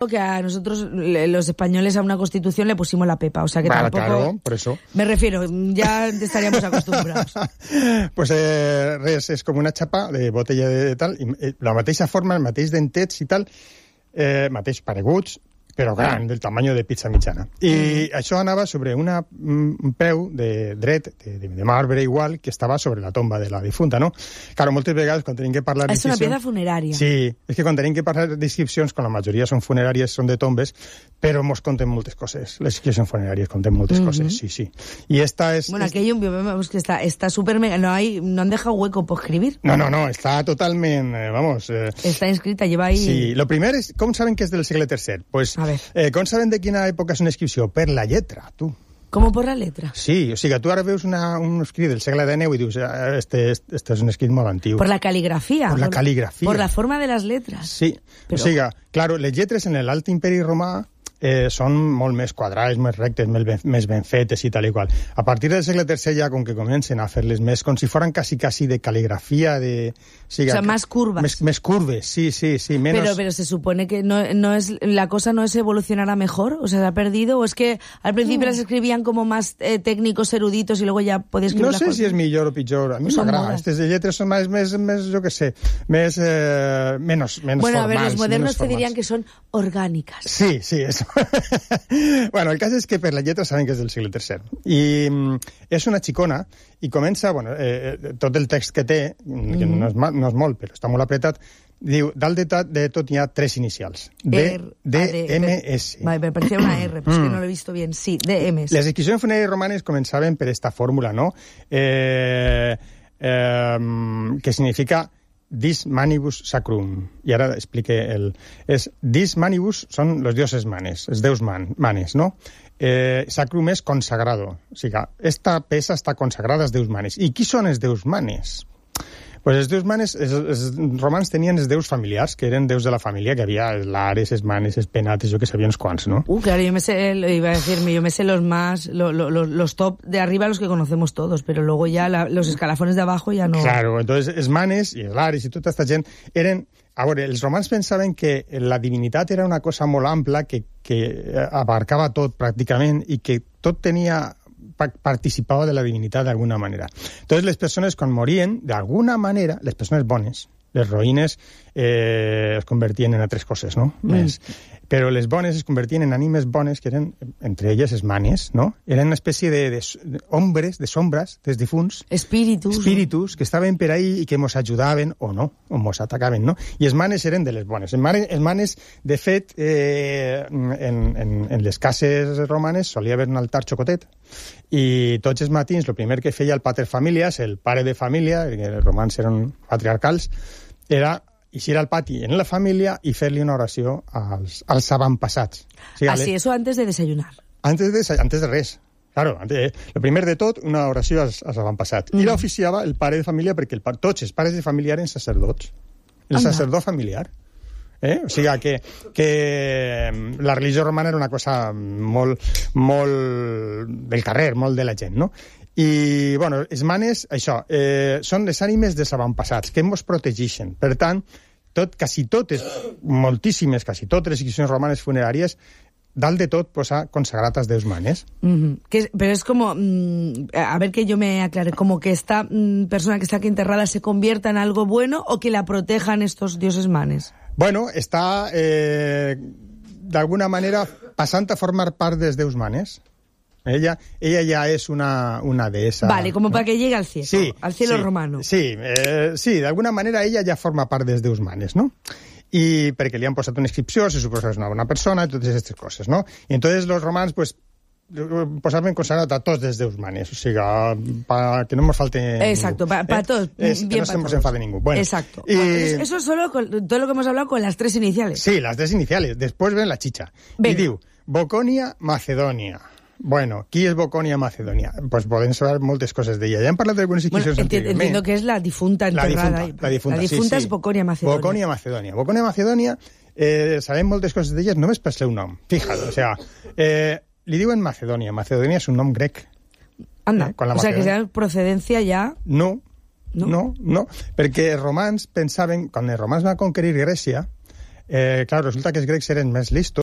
que a nosotros, los españoles, a una constitución le pusimos la pepa, o sea que tampoco... Claro, por eso. Me refiero, ya estaríamos acostumbrados. Pues res, és com una xapa de botella de tal, i la mateixa forma, el mateix dentets i tal, mateix pareguts, però gran, del tamany de pizza mitjana. I això anava sobre un peu de dret, de marbre igual, que estava sobre la tomba de la difunta, no? Claro, moltes vegades quan tenim que parlar... És una pieza funerària. Sí, és que quan tenim que parlar d'inscripcions, com la majoria són funeràries, són de tombes, però mos conten moltes coses. Les inscripcions funeràries conten moltes coses, sí. I esta es... Bueno, aquello vemos que está súper mega... No han dejado hueco por escribir. No, està totalment, vamos... Está inscrita, lleva ahí... Sí, lo primer és... Com saben que és del segle III? Pues, com saben de quina època és una inscripció? Per la lletra, tu. Com por la letra? Sí, o sigui, tu ara veus un escrit del segle XIX i dius, este és un escrit molt antiu. Por la caligrafía. Por la caligrafía. Por la forma de las letras. Sí, però... o sigui, claro, les lletres en l'Alt Imperi Romà són molt més quadrades, més rectes, més ben fetes i tal i qual. A partir del segle III ja, com que comencen a fer-les més, com si foren quasi de caligrafía, de... O sea, más curvas. Més curves, sí, menos... Pero se supone que no es la cosa no es evolucionar a mejor, o sea, ¿se ha perdido? ¿O es que al principio las escribían como más técnicos, eruditos, y luego ya podías escribir No sé si és millor o pitjor, a mi m'agrada. Aquestes lletres són més, jo què sé, menos formals. Bueno, a ver, los modernos te dirían que son orgánicas. Sí, eso. Bueno, el cas és que per la lletra saben que és del segle III. I és una xicona i comença, bueno, tot el text que té, que no és molt, però està molt apretat, diu, dalt de tot hi ha 3 inicials. DMS. Vale, me parecía una R, pero es que no lo he visto bien. Sí, DMS. Les inscripcions funeràries romanes començaven per esta fórmula, no? Que significa Dis manibus sacrum. I ara explique Dis manibus són los dioses manes, els deus manes, no? Sacrum és consagrado. O sigui, esta peça està consagrada als deus manes. I qui són els deus manes? Pues els deus manes, els romans tenien els deus familiars, que eren deus de la família, que havia els lares, els manes, els penates, jo que sabia uns quants, ¿no? Claro, yo me sé los más, los top de arriba, los que conocemos todos, pero luego ya los escalafones de abajo ya no... Claro, entonces els manes i els lares i tota aquesta gent eren... A veure, els romans pensaven que la divinitat era una cosa molt ampla, que abarcava tot pràcticament i que tot tenia... participava de la divinitat d'alguna manera. Entonces, les persones, quan morien, d'alguna manera, les persones bones, les roïnes es convertien en altres coses, no? Però les bones es convertien en ànimes bones, que eren, entre elles, els manes, no? Eren una espècie d'ombres, de sombras, dels difunts. Espíritus, que estaven per ahí i que mos ajudaven, o no, o mos atacaven, no? I els manes eren de les bones. Els manes, de fet, en les cases romanes solia haver un altar xocotet, i tots els matins, el primer que feia el pater familias, el pare de família, que els romans eren patriarcals, era eixir al pati en la família i fer-li una oració als avantpassats. O sigui, eso antes de desayunar. Antes de res. Claro, el primer de tot, una oració als avantpassats. I l'oficiava el pare de família, perquè tots els pares de família eren sacerdots. El sacerdot familiar. O sigui, que la religió romana era una cosa molt del carrer, molt de la gent, no? I, bueno, els manes, això, són les ànimes dels avantpassats, que ens protegeixen. Per tant, quasi totes les inscripcions romanes funeràries, dalt de tot posa consagrat als deus manes. Pero es como, a ver que yo me aclare, como que esta persona que está aquí enterrada se convierta en algo bueno o que la protejan estos dioses manes. Bueno, està, d'alguna manera, passant a formar part dels deus manes. Ella ya es una deessa. Vale, como para que llegue al cielo, sí, al cielo romano. Sí, de alguna manera ella ja forma part dels deus manes, no? I perquè li han posat una inscripció, se suposa que és una bona persona, i totes aquestes coses, no? I entonces los romans, pues, posaven consagrat a tots els deus manes, o sigui, para que no nos falte exacto, para todos, que no se nos enfade ningú. Bueno, exacto. Eso es solo con todo lo que hemos hablado con las 3 iniciales. Sí, las 3 iniciales. Después ven la chicha. Venga. I diu, Boconia, Macedonia. Bueno, qui és Boconia, Macedonia? Pues podem saber moltes coses d'ella. Ja hem parlat d'algunes inscripcions anteriorment. Entiendo que és la difunta enterrada. La difunta és Boconia, Macedonia. Boconia, Macedonia. Boconia, Macedonia, sabem moltes coses d'elles només per seu nom. Fíjate, o sea, li diuen Macedonia. Macedonia és un nom grec. Anda, o sea, que sea procedencia ja... No, perquè els romans pensaven, quan els romans van conquerir Grècia, Clar, resulta que els grecs eren més listos